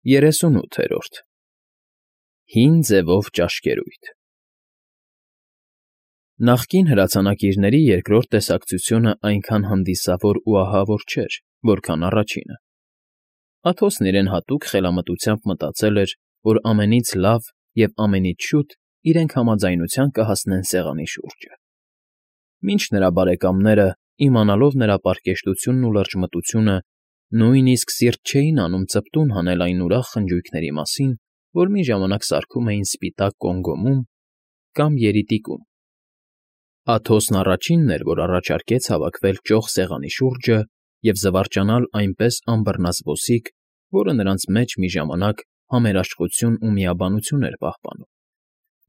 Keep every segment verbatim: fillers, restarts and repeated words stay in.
ԵՐԵՍՈՒՆՈՒԹԵՐՈՐԴ Հին ձևով ճաշկերույթ Նախկին հրացանակիրների երկրորդ տեսակցությունն այնքան հանդիսավոր ու ահավոր չէր, որքան առաջինը. Աթոսն իրեն հատուկ խելամտությամբ մտածել էր, որ ամենից լավ և ամենից շուտ իրենք համաձայնության կհասնեն սեղանի շուրջը, մինչ նրա բարեկամները, իմանալով նրա պարկեշտությունն ու լրջմտությունը, նույնիսկ սիրտ չէին անում ծպտուն հանել այն ուրախ խնջույքների մասին, որ մի ժամանակ սարքում էին սպիտակ կոմկոմում կամ երիտիկում. Աթոսն առաջինն էր, որ առաջարկեց հավաքվել ճոխ սեղանի շուրջը և զվարճանալ այնպես անբռնազբոսիկ, որը նրանց մեջ մի ժամանակ համերաշխություն ու միաբանություն էր պահպանում,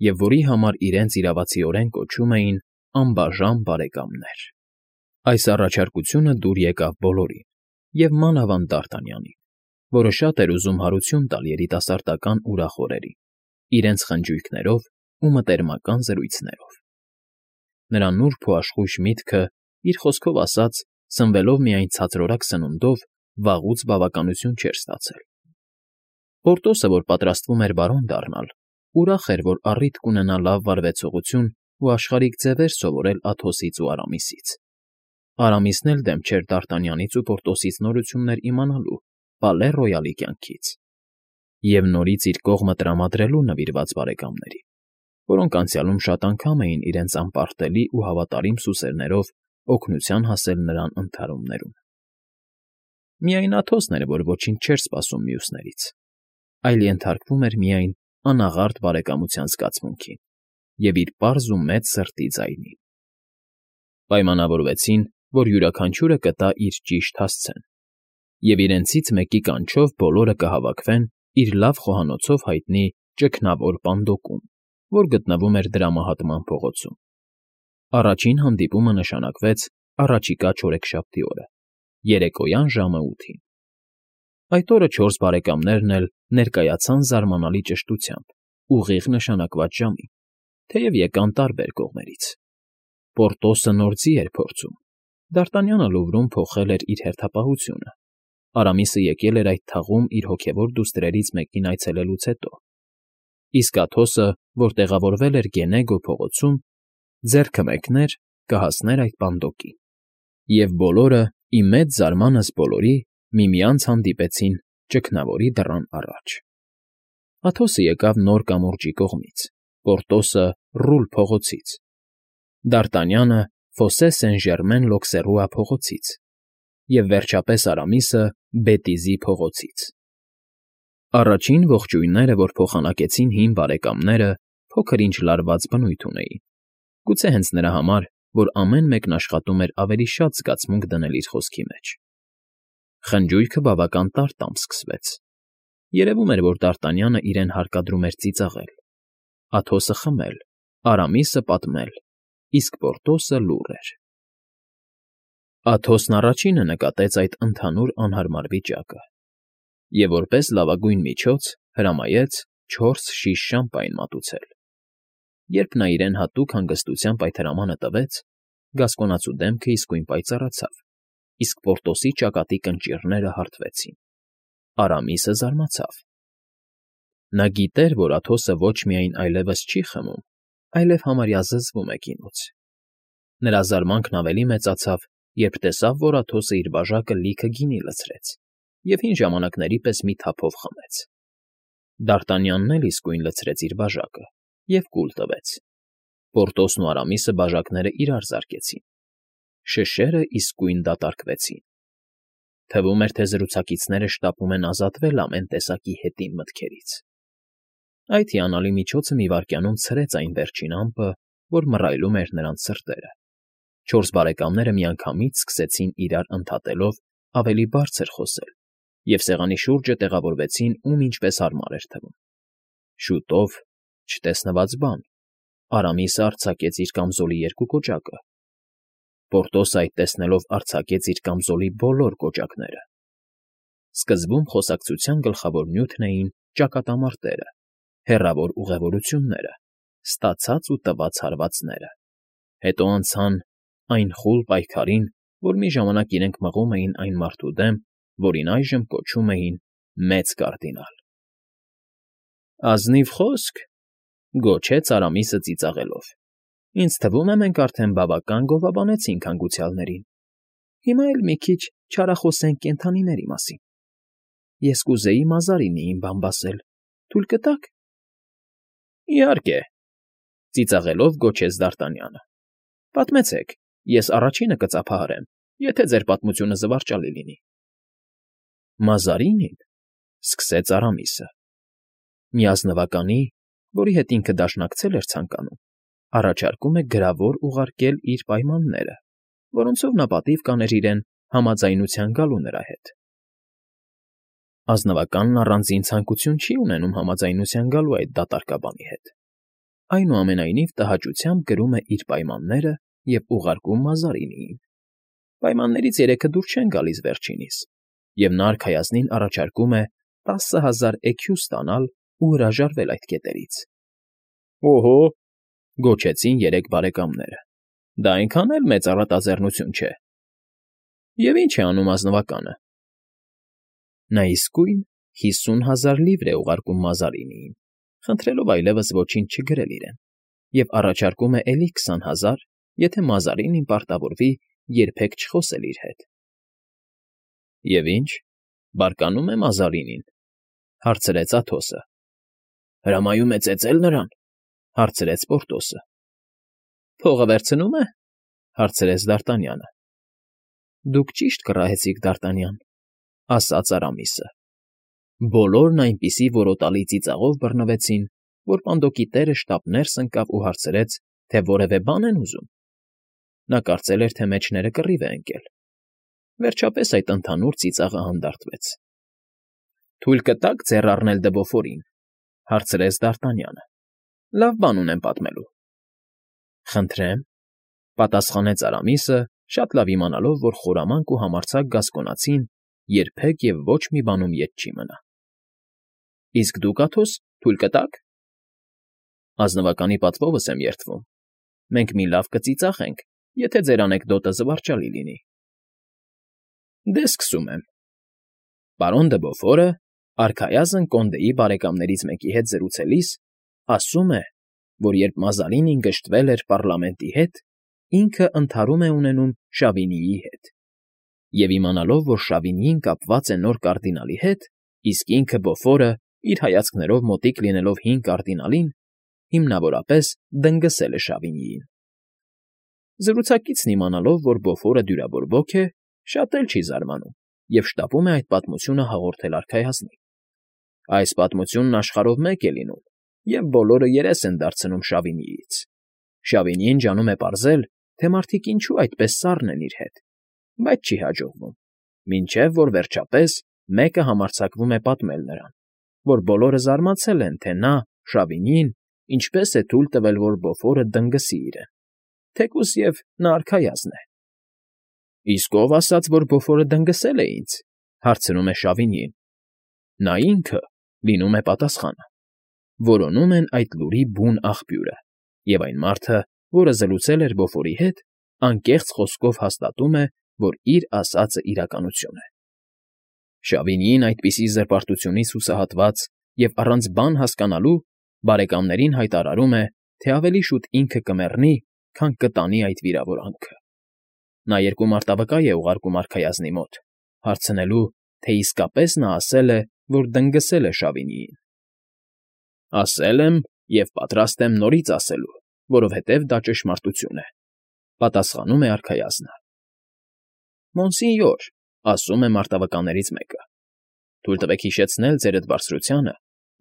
և որի համար իրենց իրավացիորեն կոչում էին «անբաժան բարեկամներ»։ Այս առաջարկությունը դուր եկավ բոլորին, և մանավանդ Դարտանյանին, որը շատ էր ուզում հարություն տալ երիտասարդական ուրախ օրերին, իրենց խնջույքներով ու մտերմական զրույցներով։ Նրա նուրբ ու աշխույժ միտքը, իր խոսքով ասած, սնվելով միայն ցածրորակ սնունդով, վաղուց բավականություն չէր ստացել։ Պորտոսը, որ պատրաստվում էր բարոն դառնալ, ուրախ էր, որ առիթ կունենա լավ վարվեցողություն ու աշխարհիկ ձևեր սովորել Աթոսից ու Արամիսից։ Արամիսն էլ դեմ չէր Դարտանյանից ու Պորտոսից նորություններ իմանալու Պալե Ռոյալի կյանքից և նորից իր կողմը տրամադրելու նվիրված բարեկամներին, որոնք անցյալում շատ անգամ էին իրենց անպարտելի ու հավատարիմ սուսերներով օգնության հասել նրան ընդհարումներում։ Միայն Աթոսն էր, որ ոչինչ չէր սպասում մյուսներից, այլ ենթարկվում էր միայն անաղարտ բարեկամության զգացմունքին և իր պարզ ու մեծ սրտի ձայնին։ Պայմանավորվեցին, որ յուրաքանչյուրը կտա իր ճիշտ հասցեն, և իրենցից մեկի կանչով բոլորը կհավաքվեն իր լավ խոհանոցով հայտնի Ճգնավոր պանդոկում, որ գտնվում էր Դրամահատման փողոցում։ Առաջին հանդիպումը նշանակվեց առաջիկա չորեքշաբթի օրը, երեկոյան ժամը ութին։ Այդ օրը չորս բարեկամներն էլ ներկայացան զարմանալի ճշտությամբ, ուղիղ նշանակված ժամին, թեև եկան տարբեր կողմերից։ Պորտոսը նոր ձի էր փորձում, Դարտանյանը Լուվրում փոխել էր իր հերթապահությունը, Արամիսը եկել էր այդ թաղում իր հոգևոր դուստրերից մեկին այցելելուց հետո, իսկ Աթոսը, որ տեղավորվել էր Գենեգո փողոցում, ձեռքը մեկներ կհասներ այդ պանդոկին։ Եվ բոլորը, ի մեծ զարմանս բոլորի, միմյանց հանդիպեցին Ճգնավորի դռան առաջ։ Աթոսը եկավ Նոր կամուրջի կողմից, Պորտոսը՝ Ռուլ փողոցից, Դարտանյանը՝ Ֆոսե Սեն֊Ժերմեն֊Լոքսերուա փողոցից և, վերջապես, Արամիսը Բետիզի փողոցից։ Առաջին ողջույնները, որ փոխանակեցին հին բարեկամները, փոքր֊ինչ լարված բնույթ ունեին, գուցե հենց նրա համար, որ ամեն մեկն աշխատում էր ավելի շատ զգացմունք դնել իր խոսքի մեջ։ Խնջույքը բավական տար տամ սկսվեց։ Երևում էր, որ Դարտանյանը իրեն հարկադրում էր ծիծաղել, Աթոսը խմել, Արամիսը պատմել, իսկ Պորտոսը լուռ էր։ Աթոսն առաջինը նկատեց այդ ընդհանուր անհարմար վիճակը և, որպես լավագույն միջոց, հրամայեց չորս շիշ շամպայն մատուցել։ Երբ նա իրեն հատուկ հանգստությամբ այդ հրամանը տվեց, գասկոնացու դեմքը իսկույն պայծառացավ, իսկ Պորտոսի ճակատի կնճիռները հարթվեցին։ Արամիսը զարմացավ։ Նա գիտեր, որ Աթոսը ոչ միայն այլևս չի խմում, այլև համարյա զզվում է գինուց։ Նրա զարմանքն ավելի մեծացավ, երբ տեսավ, որ Աթոսը իր բաժակը լիքը գինի լցրեց և հին ժամանակների պես մի թափով խմեց։ Դարտանյանն էլ իսկույն լցրեց իր բաժակը և կուլ տվեց։ Պորտոսն ու Արամիսը բաժակները իրար զարկեցին։ Շշերը իսկույն դատարկվեցին։ Թվում էր, թե զրուցակիցները շտապում են ազատվել ամեն տեսակի հետին մտքերից։ Այդ հիանալի միջոցը մի վայրկյանում ցրեց այն վերջին ամպը, որ մռայլում էր նրանց սրտերը։ Չորս բարեկամները միանգամից սկսեցին իրար ընդհատելով ավելի բարձր խոսել և սեղանի շուրջը տեղավորվեցին, ում ինչպես հարմար էր թվում։ Շուտով, չտեսնված բան, Արամիսը արձակեց իր կամզոլի երկու կոճակը։ Պորտոսը այդ տեսնելով արձակեց իր կամզոլի բոլոր կոճակները։ Սկզբում խոսակցության գլխավոր նյութն էին ճակատամարտերը, հեռավոր ուղևորությունները, ստացած ու տված հարվածները։ Հետո անցան այն խուլ պայքարին, որ մի ժամանակ իրենք մղում էին այն մարդու դեմ, որին այժմ կոչում էին Մեծ կարդինալ։ Ազնիվ խոսք,֊ գոչեց Արամիսը ծիծաղելով։֊ Ինձ թվում է, մենք արդեն բավական գովաբանեցինք հանգուցյալներին, հիմա էլ մի քիչ չարախոսենք կենդանիների մասին… Ես կուզեի Մազարինիին բամբասել, թույլ կտա՞ք։ ֊ Իհարկե,֊ ծիծաղելով գոչեց Դարտանյանը։֊ Պատմեցեք, ես առաջինը կծափահարեմ, եթե ձեր պատմությունը զվարճալի լինի։ ֊ Մազարինին,֊ սկսեց Արամիսը,֊ մի ազնվականի, որի հետ ինքը դաշնակցել էր ցանկանում, առաջարկում է գրավոր ուղարկել իր պայմանները, որոնցով նա պատիվ կաներ իրեն համաձայնության գալու նրա հետ։ Ազնվականն առանձին ցանկություն չի ունենում համաձայնության գալու այդ դատարկաբանի հետ, այնուամենայնիվ տհաճությամբ գրում է իր պայմանները և ուղարկում Մազարինիին։ Պայմաններից երեքը դուր չեն գալիս վերջինիս, և նա արքայազնին առաջարկում է տասը հազար էքյու ստանալ ու հրաժարվել այդ կետերից։ ֊ Օհո,֊ գոչեցին երեք բարեկամները,֊ դա այնքան էլ մեծ առատաձեռնություն չէ։ Եվ ի՞նչ է անում ազնվականը։ ֊ Նա իսկույն հիսուն հազար լիվր է ուղարկում Մազարինիին, խնդրելով այլևս ոչինչ չգրել իրեն, և առաջարկում է էլի քսան հազար, եթե Մազարինին պարտավորվի երբեք չխոսել իր հետ։ ֊ Եվ ի՞նչ, բարկանում է Մազարինին,֊ հարցրեց Աթոսը։ ֊ Հրամայում է ծեծել նրան,֊ հարցրեց Պորտոսը։ ֊ Փողը վերցնո՞ւմ է,֊ հարցրեց Դարտանյանը։ ֊ Դուք ճիշտ կռահեցիք, Դարտանյան,֊ ասաց Արամիսը։ Բոլորն այնպիսի որոտալի ծիծաղով բռնվեցին, որ պանդոկի տերը շտապ ներս ընկավ ու հարցրեց, թե որևէ բան են ուզում։ Նա կարծել էր, թե մեջները կռիվ է ընկել։ Վերջապես այդ ընդհանուր ծիծաղը հանդարտվեց։ ֊ Թույլ կտա՞ք ձեռ առնել Դվոֆորին,֊ հարցրեց Դարտանյանը։ ֊ Լավ բան ունեմ պատմելու։ ֊ Խնդրեմ,֊ պատասխանեց Արամիսը, շատ լավ իմանալով, որ խորամանկ ու համարձակ գասկոնացին երբեք և ոչ մի բանում ետ չի մնա։ ֊ Իսկ դուք, Աթոս, թույլ կտա՞ք։ ֊ Ազնվականի պատվովս եմ երդվում։ Մենք մի լավ կծիծաղենք, եթե ձեր անեկդոտը զվարճալի լինի։ ֊ Դե սկսում եմ։ Պարոն Դվոֆորը, արքայազն կոնդեի բարեկամներից մեկի հետ զրուցելիս, ասում է, որ երբ Մազարինին գժտվել էր պառլամենտի հետ, ինքը ընդհարում է ունենում Շավինիի հետ, և իմանալով, որ Շավինիին կապված է նոր կարդինալի հետ, իսկ ինքը Բոֆորը, իր հայացքներով մոտիկ լինելով հին կարդինալին, հիմնավորապես դնգսել է Շավինիին։ Զրուցակիցն իմանալով, որ Բոֆորը դյուրավոր ոք է, շատ էլ չի զարմանում և շտապում է այդ պատմությունը հաղորդել արքայազնին։ Այս պատմությունն աշխարհով մեկ է լինում, և բոլորը երես են դարձնում Շավինիից։ Շավինիին ջանում է պարզել, թե մարդիկ ինչու այդպես սառն են իր հետ, բայց չի հաջողվում, մինչև որ վերջապես մեկը համարձակվում է պատմել նրան, որ բոլորը զարմացել են, թե նա, Շավինին, ինչպես է թույլ տվել, որ Բոֆորը դնգսի իրեն, թեկուզ և նա արքայազն է։ ֊ Իսկ ո՞վ ասաց, որ Բոֆորը դնգսել է ինձ,֊ հարցնում է Շավինին։ ֊ Նա ինքը,֊ լինում է պատասխանը։ Որոնում են այդ լուրի բուն աղբյուրը, և այն մարդը, որը զրուցել էր Բոֆորի հետ, անկեղծ խոսքով հաստատում է, որ իր ասածը իրականություն է։ Շավինիին այդպիսի զրպարտությունից հուսահատված և առանց բան հասկանալու, բարեկամներին հայտարարում է, թե ավելի շուտ ինքը կմեռնի, քան կտանի այդ վիրավորանքը։ Նա երկու մարտավկա է ուղարկում արքայազնի մոտ, հարցնելու, թե իսկապես նա ասել է, որ դնգսել է Շավինիին։ ֊ Ասել եմ և պատրաստ եմ նորից ասելու, որովհետև դա ճշմարտություն է,֊ պատասխանում է արքայազնը։ ֊ Մոնսինյոր,֊ ասում է մարտավկաներից մեկը,֊ թույլ տվեք հիշեցնել ձերդ բարձրությանը,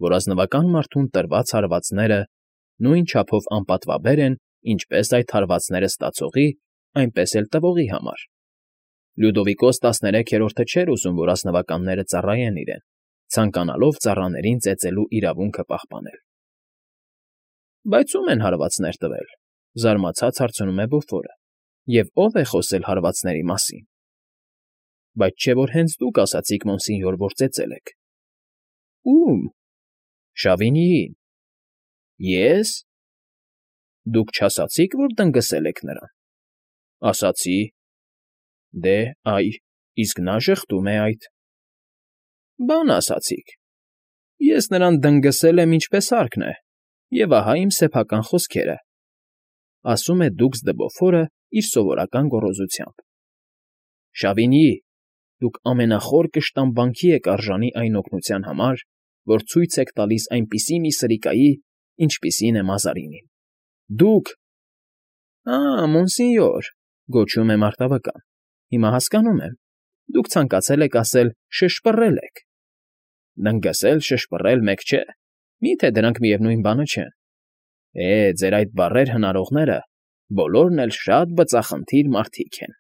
որ ազնվական մարդուն տրված հարվածները նույն չափով անպատվաբեր են, ինչպես այդ հարվածները ստացողի, այնպես էլ տվողի համար։ Լյուդովիկոս տասներեքերորդը չէր ուզում, որ ազնվականները ծառայեն իրեն, ցանկանալով ծառաներին ծեծելու իրավունքը պահպանել։ ֊ Բայց ո՞ւմ են հարվածներ տվել,֊ զարմացած հարցնում է Բոֆորը,֊ և ո՞վ է խոսել հարվածների մասին։ ֊ Բայց չէ՞ որ հենց դուք ասացիք, մոնսինյոր, որ ծեծել եք։ ֊ Ո՞ւմ։ ֊ Շավինիին։ ֊ Ե՞ս։ ֊ Դուք չասացի՞ք, որ դնգսել եք նրան։ ֊ Ասացի։ ֊ Դե, այ, իսկ նա ժխտում է այդ։ ֊ Բան ասացիք։ Ես նրան դնգսել եմ ինչպես հարկն է, և ահա իմ սեփական խոսքերը,֊ ասում է դուքս Դեբոֆորը իր սովորական գոռոզությամբ։ Շավինի՜, դուք ամենախոր կշտամբանքի եք արժանի այն օգնության համար, որ ցույց եք տալիս այնպիսի մի սրիկայի, ինչպիսին է Մազարինին։ Դուք… Ա՜, մոնսինյոր,֊ գոչում է մարտավական,֊ հիմա հասկանում եմ, դուք ցանկացել եք ասել շշպռել եք։ Դնգսել, շշպռել մեկ չէ, մի՞թե դրանք միևնույն բանը չեն։ Է, ձեր այդ բառեր հնարողները բոլորն էլ շատ բծախնդիր մարդիկ են։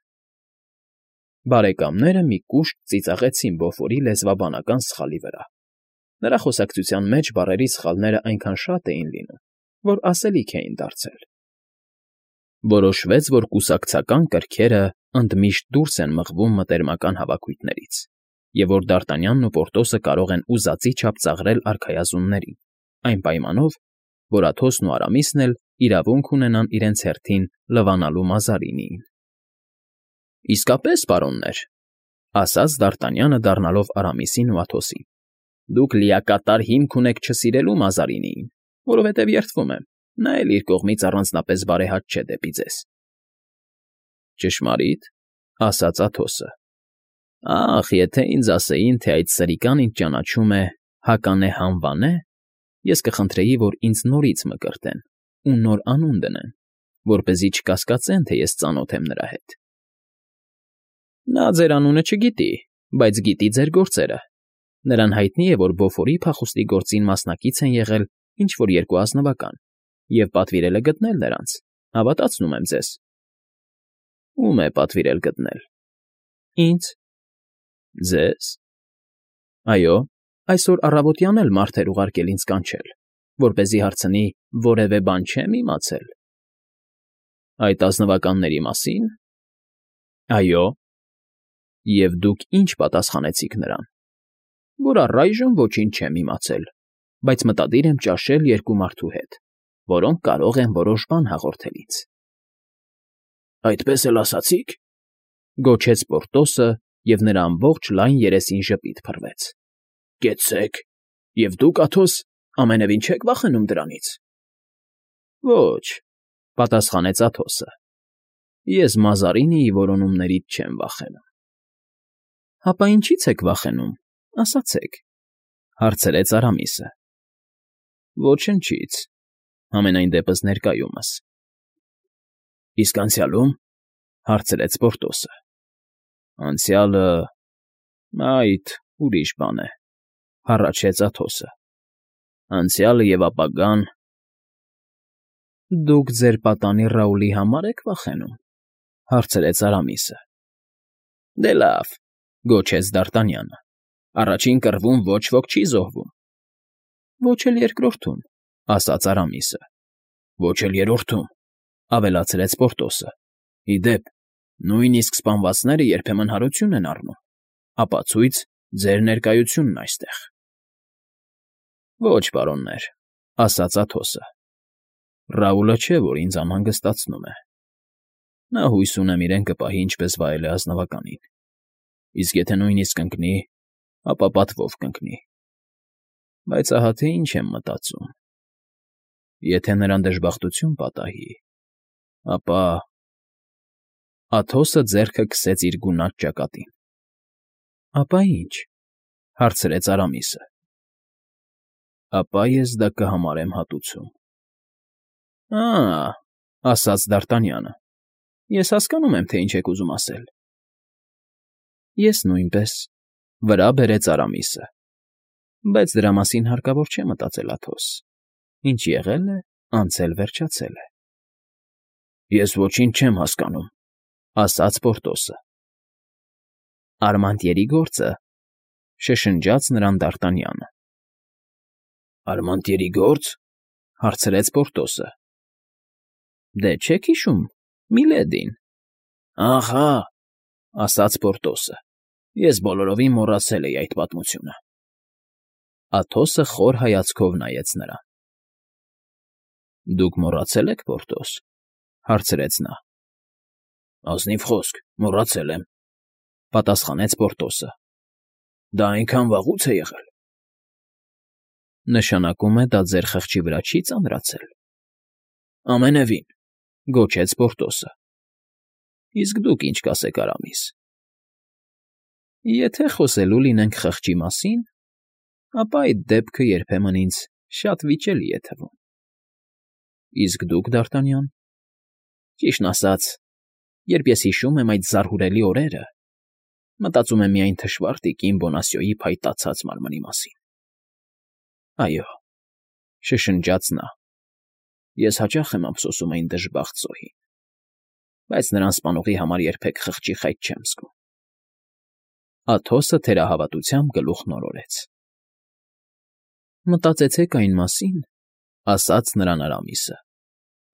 Բարեկամները մի կուշտ ծիծաղեցին Բոֆորի լեզվաբանական սխալի վրա. նրա խոսակցության մեջ բառերի սխալներն այնքան շատ էին լինում, որ ասելիք էին դարձել։ Որոշվեց, որ կուսակցական կրքերը ընդմիշտ դուրս են մղվում մտերմական հավաքույթներից, և որ Դարտանյանն ու Պորտոսը կարող են ուզածի չափ ծաղրել արքայազուններին, այն պայմանով, որ Աթոսն ու Արամիսն էլ իրավունք ունենան իրենց հերթին լվանալու Մազարինիին։ ֊ Իսկապես, պարոններ,֊ ասաց Դարտանյանը դառնալով Արամիսին ու Աթոսին,֊ դուք լիակատար հիմք ունեք չսիրելու Մազարինիին, որովհետև երդվում եմ, նա էլ իր կողմից առանձնապես բարեհաճ չէ դեպի ձեզ։ ֊ Ճշմարի՞տ,֊ ասաց Աթոսը։ Ախ, եթե ինձ ասեին, թե այդ սրիկան ինձ ճանաչում է Հականե հանվանե, ես կխնդրեի, որ ինձ նորից մկրտեն ու նոր անուն դնեն, որպեսզի չկասկածեն, թե ես ծանոթ եմ նրա հետ։ ֊ Նա ձեր անունը չգիտի, բայց գիտի ձեր գործերը. նրան հայտնի է, որ Բոֆորի փախուստի գործին մասնակից են եղել ինչ֊որ երկու ազնվական, և պատվիրել է գտնել նրանց, հավատացնում եմ ձեզ։ ֊ Ո՞ւմ է պատվիրել գտնել։ ֊ Ինձ։ ֊ Ձե՞զ։ ֊ Այո, այսօր առավոտյան էլ մարդ էր ուղարկել ինձ կանչել, որպեսզի հարցնի՝ որևէ բան չե՞մ իմացել։ ֊ Այդ ազնվականների մասի՞ն։ ֊ Այո։ ֊ Եվ դուք ի՞նչ պատասխանեցիք նրան։ ֊ Որ առայժմ ոչինչ չեմ իմացել, բայց մտադիր եմ ճաշել երկու մարդու հետ, որոնք կարող են որոշ բան հաղորդել ինձ։ ֊ Այդպես էլ ասացի՞ք,֊ գոչեց Պորտոսը, և նրա ամբողջ լայն երեսին ժպիտ փռվեց։ ֊ Կեցցեք, և դուք, Աթոս, ամենևին չեք վախենում դրանից։ ֊ Ոչ,֊ պատասխանեց Աթոսը,֊ ես Մազարինիի որոնումներից չեմ վախենում։ ֊ Հապա ինչի՞ց եք վախենում, ասացեք,֊ հարցրեց Արամիսը։ ֊ Ոչնչից, համենայն դեպս ներկայումս։ ֊ Իսկ անցյալո՞ւմ,֊ հարցրեց Պորտոսը։ ֊ Անցյալը… Այդ ուրիշ բան է,֊ հառաչեց Աթոսը։ ֊ Անցյալը և ապագան… ֊ Դուք ձեր պատանի Ռաուլի համար եք վախենում,֊ հարցրեց Արամիսը։ ֊ Դե լավ,֊ գոչեց Դարտանյանը,֊ առաջին կռվում ոչ ոք չի զոհվում։ ֊ Ոչ էլ երկրորդում,֊ ասաց Արամիսը։ ֊ Ոչ էլ երրորդում,֊ ավելացրեց Պորտոսը։ ֊ Ի դեպ, նույնիսկ սպանվածները երբեմն հարություն են առնում, ապացույց ձեր ներկայությունն այստեղ։ ֊ Ոչ, պարոններ,֊ ասաց Աթոսը։ ֊ Ռաուլը չէ, որ ինձ անհանգստացնում է։ Նա հույս ունեմ իրեն կպահի ինչպես վայել է ազնվականին, իսկ եթե նույնիսկ ընկնի, ապա պատվով կընկնի։ Բայց ահա թե ինչ եմ մտածում. եթե նրան դժբախտություն պատահի, ապա… Աթոսը ձեռքը քսեց իր գունատ ճակատին։ ֊ Ապա ի՞նչ,֊ հարցրեց Արամիսը։ ֊ Ապա ես դա կհամարեմ հատուցում։ ֊ Ա՜, ասաց Դարտանյանը,֊ ես հասկանում եմ, թե ինչ եք ուզում ասել։ ֊ Ես նույնպես,֊ վրա բերեց Արամիսը,֊ բայց դրա մասին հարկավոր չէ մտածել, Աթոս. ինչ եղել է, անցել վերջացել է։ ֊ Ես ոչինչ չեմ հասկանում,֊ ասաց Պորտոսը։ ֊ Արմանտյերի գործը,֊ շշնջաց նրան Դարտանյանը։ ֊ Արմանտյերի գործ,֊ հարցրեց Պորտոսը։ ֊ Դե չե՞ք հիշում, Միլեդին։ ֊ Ահա,֊ ասաց Պորտոսը,֊ ես բոլորովին մոռացել էի այդ պատմությունը։ Աթոսը խոր հայացքով նայեց նրան։ ֊ Դուք մոռացե՞լ եք, Պորտոս,֊ հարցրեց նա։ ֊ Ազնիվ խոսք, մոռացել եմ,֊ պատասխանեց Պորտոսը։ ֊ Դա այնքան վաղո՞ւց է եղել։ ֊ Նշանակում է դա ձեր խղճի վրա չի՞ ծանրացել։ ֊ Ամենևին,֊ գոչեց Պորտոսը։ ֊ Իսկ դուք ինչ կասեք, Արամիս։ ֊ Եթե խոսելու լինենք խղճի մասին, ապա այդ դեպքը երբեմն ինձ շատ վիճելի է թվում։ ֊ Իսկ դուք, Դ'Արտանյան։ ֊ Ճիշտն ասած, երբ ես հիշում եմ այդ զարհուրելի օրերը, մտածում եմ միայն թշվառ տիկին Բոնասիոյի փայտացած մարմնի մասին։ ֊ Այո,֊ շշնջաց նա,֊ ես հաճախ եմ ափսոսում այն դժբախտ զոհին, բայց նրան սպանողի համար երբեք խղճի խայտ չեմ զգում։ Աթոսը թերահավատությամբ գլուխն օրորեց։ ֊ Մտածեցեք այն մասին,֊ ասաց նրան Արամիսը,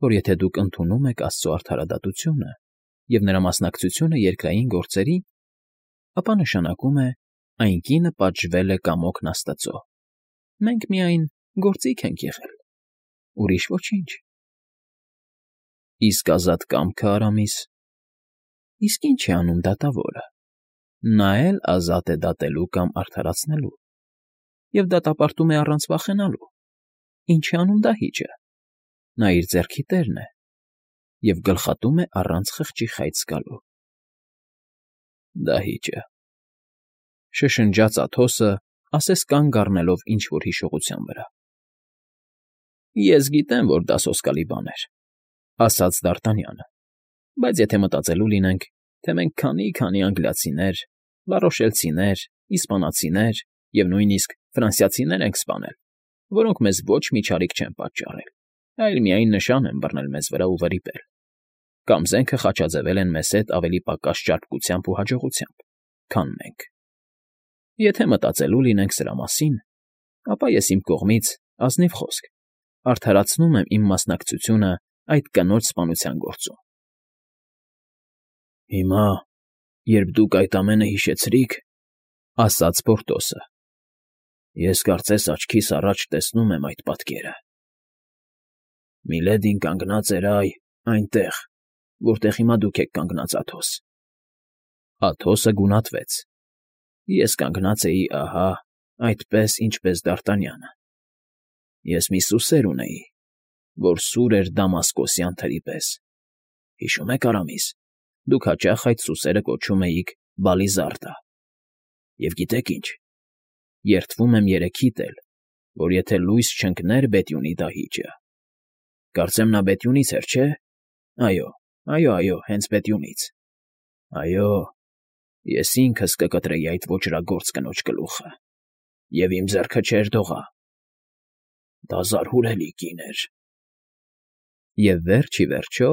որ եթե դուք ընդունում եք աստծո արդարադատությունը և նրա մասնակցությունը երկրային գործերին, ապա նշանակում է այն կինը պատժվել է կամոքն աստծո, մենք միայն գործիք ենք եղել, ուրիշ ոչինչ։ ֊ Իսկ ազատ կամքը, Արամիս։ ֊ Իսկ ինչ է անում դատավորը։ Նա էլ ազատ է դատելու կամ արդարացնելու, և դատապարտում է առանց վախենալու։ Ինչ է անում դահիճը։ Նա իր ձեռքի տերն է և գլխատում է առանց խղճի խայտ զգալու։ ֊ Դահիճը,֊ շշնջաց Աթոսը, ասես կանգ առնելով ինչ֊որ հիշողության վրա։ ֊ Ես գիտեմ, որ դա սոսկալի բան էր,֊ ասաց Դ'Արտանյանը,֊ բայց եթե մտածելու լինենք, թե մենք քանի՜֊քանի անգլիացիներ, լառոշելցիներ, իսպանացիներ և նույնիսկ ֆրանսիացիներ ենք սպանել, որոնք մեզ ոչ մի չարիք չեն պատճառել, այլ միայն նշան են բռնել մեզ վրա ու վրիպել, կամ զենքը խաչաձևել են մեզ հետ ավելի պակաս ճարպկությամբ ու հաջողությամբ, քան մենք… Եթե մտածելու լինենք սրա մասին, ապա ես իմ կողմից, ազնիվ խոսք, արդարացնում եմ իմ մասնակցությունը այդ կնոջ սպանության գործում։ ֊ Հիմա, երբ դուք այդ ամենը հիշեցրիք,֊ ասաց Պորտոսը,֊ ես կարծես աչքիս առաջ տեսնում եմ այդ պատկերը… Միլեդին կանգնած էր, այ, այնտեղ, որտեղ հիմա դուք եք կանգնած, Աթոս… Աթոսը գունատվեց։ Ես կանգնած էի ահա այդպես, ինչպես Դ'Արտանյանը։ Ես մի սուսեր ունեի, որ սուր էր դամասկոսյան թրի պես։ Հիշո՞ւմ եք, Արամիս, դուք հաճախ այդ սուսերը կոչում էիք Բալիզարդը։ Եվ գիտեք ինչ, երդվում եմ երեքիդ էլ, որ եթե լույս չընկներ Բետյունի դահիճը… Կարծեմ նա Բետյունից էր, չէ՞։ Այո, այո, այո, հենց Բետյունից… Այո, ես ինքս կկտրեի այդ ոճրագործ կնոջ գլուխը, և իմ ձեռքը չէր դողա… Դա զարհուրելի կին էր… Եվ վերջ ի վերջո,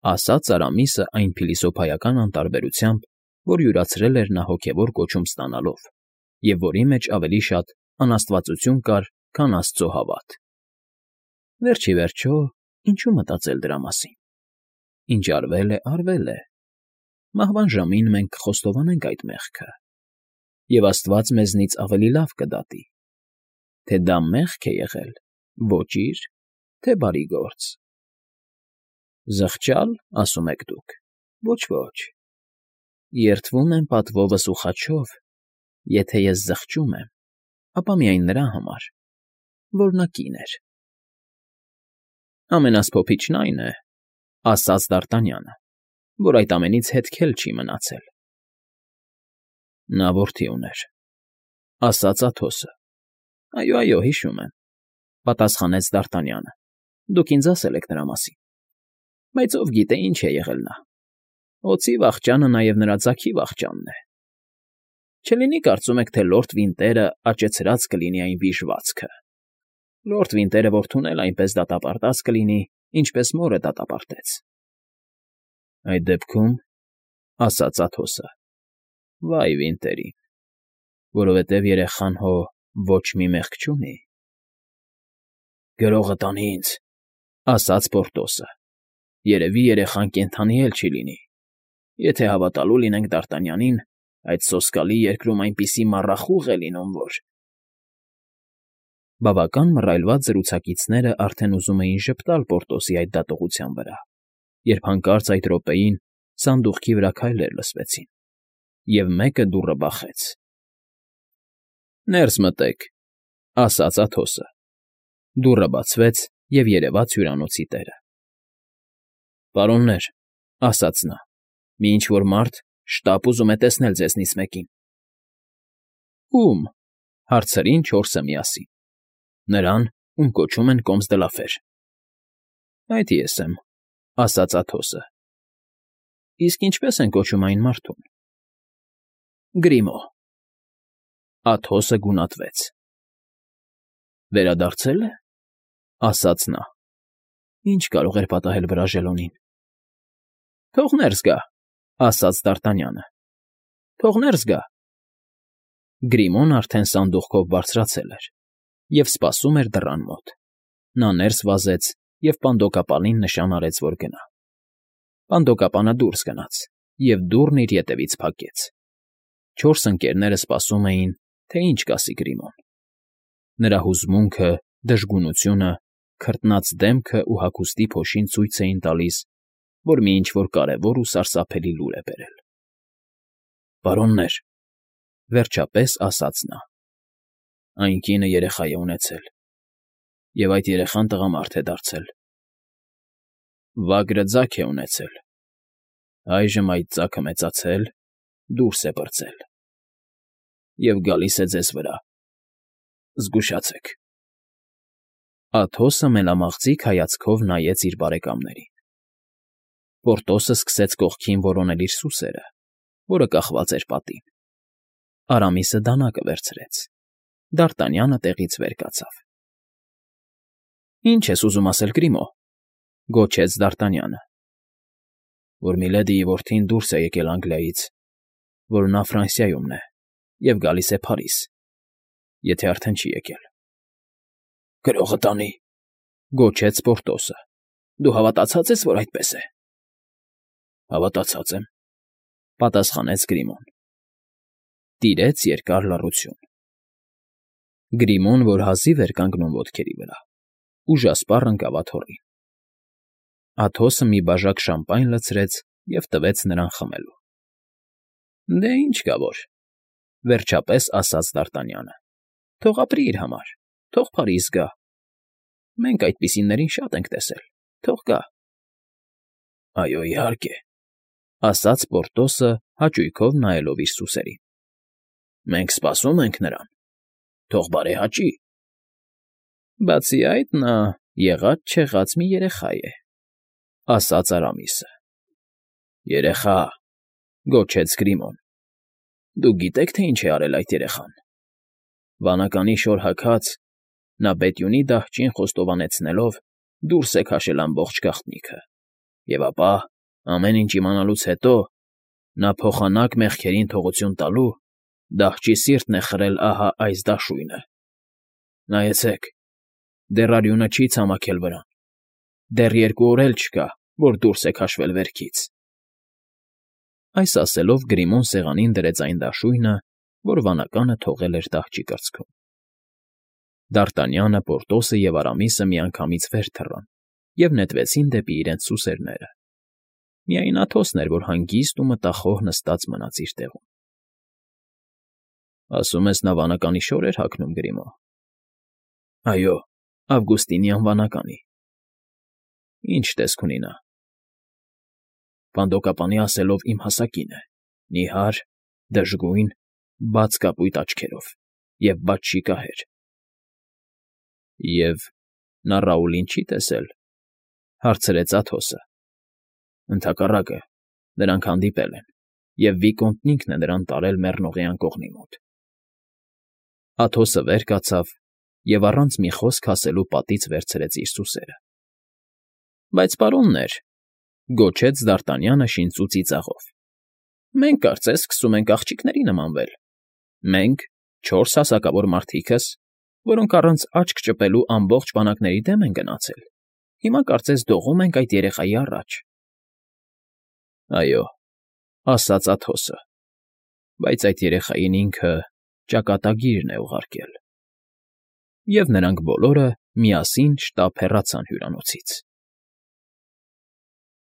ասաց Արամիսը այն փիլիսոփայական անտարբերությամբ, որ յուրացրել էր նա հոգևոր կոչում ստանալով և որի մեջ ավելի շատ անաստվածություն կար, քան աստծո հավատ… Վերջ ի վերջո, ինչու մտածել դրա մասին… Ինչ արվել է, արվել է… Մահվան ժամին մենք կխոստովանենք այդ մեղքը, և աստված մեզնից ավելի լավ կդատի, թե դա մեղք է եղել, ոճիր, թե բարի գործ… Զղջա՞լ, ասում եք դուք, ոչ, ոչ… Երդվում եմ պատվովս ու խաչով, եթե ես զղջում եմ, ապա միայն նրա համար, որ նա կին էր… Ամենասփոփիչն այն է,֊ ասաց Դ'Արտանյանը,֊ որ այդ ամենից հետք էլ չի մնացել։ ֊ Նա որդի ուներ,֊ ասաց Աթոսը։ ֊ Այո, այո, հիշում եմ,֊ պատասխանեց Դ'Արտանյանը,֊ դուք ինձ ասել եք նրա մասին։ Բայց ով գիտե ինչ է եղել նա… Օձի վախճանը նաև նրա ձագի վախճանն է… Չլինի՞ կարծում եք, թե լորդ Վինտերը աճեցրած կլինի այն վիժվածքը… Լորդ Վինտերը որդուն էլ այնպես դատապարտած կլինի, ինչպես մորը դատապարտեց… ֊ Այդ դեպքում,֊ ասաց Աթոսը,֊ վա՜յ Վինտերին, որովհետև երեխան հո ոչ մի մեղք չունի… ֊ Գրողը տանի ինձ,֊ ասաց Պորտոսը,֊ երևի երեխան կենդանի էլ չի լինի… Եթե հավատալու լինենք Դ'Արտանյանին, այդ սոսկալի երկրում այնպիսի մառախուղ է լինում, որ… Բավական մռայլված զրուցակիցներն արդեն ուզում էին ժպտալ Պորտոսի այդ դատողության վրա, երբ հանկարծ այդ րոպեին սանդուղքի վրա քայլեր լսվեցին, և մեկը դուռը բախեց։ ֊ Ներս մտեք,֊ ասաց Աթոսը։ Դուռը բացվեց, և երևաց հյուրանոցի տերը։ ֊ Պարոններ, ֊ ասաց նա, ֊ մի ինչ֊որ մարդ շտապ ուզում է տեսնել ձեզնից մեկին։ ֊ Ո՞ւմ, ֊ հարցրին չորսը միասին։ ֊ Նրան, ում կոչում են Կոմս դը Լաֆեր։ ֊ Այդ ես եմ, ֊ ասաց Աթոսը։ ֊ Իսկ ինչպե՞ս են կոչում այն մարդուն։ ֊ Գրիմո։ Աթոսը գունատվեց։ ֊ Վերադարձե՞լ է, ֊ ասաց նա։ Ինչ կարող էր պատահել Բրաժելոնին։ ֊ Թող ներս գա, ֊ ասաց դ'Արտանյանը։ ֊ Թող ներս գա։ Գրիմոն արդեն սանդուղքով բարձրացել էր և սպասում էր դռան մոտ։ Նա ներս վազեց և պանդոկապանին նշան արեց, որ գնա։ Պանդոկապանը դուրս գնաց, և դուռն իր ետևից փակեց։ Չորս ընկերները սպասում էին, թե ինչ կասի Գրիմոն։ Նրա հուզմունքը, դժգունությունը, քրտնած դեմքն ու հագուստի փոշին ցույց էին տալիս, որ մի ինչ֊որ կարևոր ու սարսափելի լուր է բերել։ ֊ Պարոններ, ֊ վերջապես ասաց նա, ֊ այն կինը երեխա է ունեցել, և այդ երեխան տղամարդ է դարձել։ Վագրը ձագ է ունեցել, այժմ այդ ձագը մեծացել, դուրս է պրծել և գալիս է ձեզ վրա։ Զգուշացե՛ք։ Աթոսը մենամաղձիկ հայացքով նայեց իր բարեկամներին։ Պորտոսը սկսեց կողքին որոնել իր սուսերը, որը կախված էր պատին։ Արամիսը դանակը վերցրեց։ Դ'Արտանյանը տեղից վեր կացավ։ ֊ Ի՞նչ ես ուզում ասել, Գրիմո, ֊ գոչեց դ'Արտանյանը։ ֊ Որ միլեդիի որդին դուրս է եկել Անգլիայից, որ նա Ֆրանսիայումն է և գալիս է Փարիզ, եթե արդեն չի եկել։ ֊ Գրողը տանի, ֊ գոչեց Պորտոսը։ ֊ Դու հավատացած ես, որ այդպես է։ ֊ Հավատացած եմ, ֊ պատասխանեց Գրիմոն։ Տիրեց երկար լռություն։ Գրիմոն, որ հազիվ էր կանգնում ոտքերի վրա, ուժասպառ ընկավ աթոռին։ Աթոսը մի բաժակ շամպայն լցրեց և տվեց նրան խմելու։ ֊ Դե ինչ կա որ, ֊ վերջապես ասաց դ'Արտանյանը, ֊ թող ապրի իր համար, թող Փարիզ գա։ Մենք այդպիսիներին շատ ենք տեսել, թող գա։ ֊ Այո, իհարկե, ֊ ասաց Պորտոսը, հաճույքով նայելով իր սուսերին։ ֊ Մենք սպասում ենք նրան, թող բարեհաճի։ ֊ Բացի այդ, նա եղած֊չեղած մի երեխա է, ֊ ասաց Արամիսը։ ֊ Երեխա, ֊ գոչեց Գրիմոն։ ֊ Դուք գիտեք, թե ինչ է արել այդ երեխան։ Վանականի շոր հագած, նա բետյունի դահճին խոստովանեցնելով դուրս է քաշել ամբողջ գաղտնիքը, և ապա, ամեն ինչ իմանալուց հետո, նա փոխանակ մեղքերին թողություն տալու, դահճի սիրտն է խրել ահա այս դաշույնը։ Նայեցեք, դեռ արյունը չի ցամաքել վրան, դեռ երկու օր էլ չկա, որ դուրս է քաշվել վերքից։ Այս ասելով Գրիմոն սեղանին դրեց այն դաշույնը, որ վանականը թողել էր դահճի կրծքում։ Դ'Արտանյանը, Պորտոսը և Արամիսը միանգամից վեր թռան և նետվեցին դեպի իրենց սուսերները։ Միայն Աթոսն էր, որ հանգիստ ու մտախոհ նստած մնաց իր տեղում։ ֊ Ասում ես նա վանականի շո՞ր էր հագնում, Գրիմո։ ֊ Այո, Ավգուստինյան վանականի։ ֊ Ի՞նչ տեսք ունի նա։ ֊ Պանդոկապանի ասելով իմ հասակին է, նիհար, դժգույն, բաց կապույտ աչքերով և բաց շիկահեր։ ֊ Եվ նա Ռաուլին չի տեսել, ֊ հարցրեց Աթոսը։ ֊ Ընդհակառակը, նրանք հանդիպել են, և Վիկոնդն ինքն է նրան տարել մեռնողի անկողնի մոտ։ Աթոսը վեր կացավ և առանց մի խոսք ասելու պատից վերցրեց իր սուսերը։ ֊ Բայց, պարոններ, ֊ գոչեց դ'Արտանյանը շինծու ծիծաղով, ֊ մենք կարծես սկսում ենք աղջիկների նմանվել։ Մենք, չորս հասակավոր մարդիկս, որոնք առանց աչք ճպելու ամբողջ բանակների դեմ են գնացել, հիմա կարծես դողում ենք այդ երեխայի առաջ։ ֊ Այո, ֊ ասաց Աթոսը, ֊ բայց այդ երեխային ինքը ճակատագիրն է ուղարկել։ Եվ նրանք բոլորը միասին շտապ հեռացան հյուրանոցից։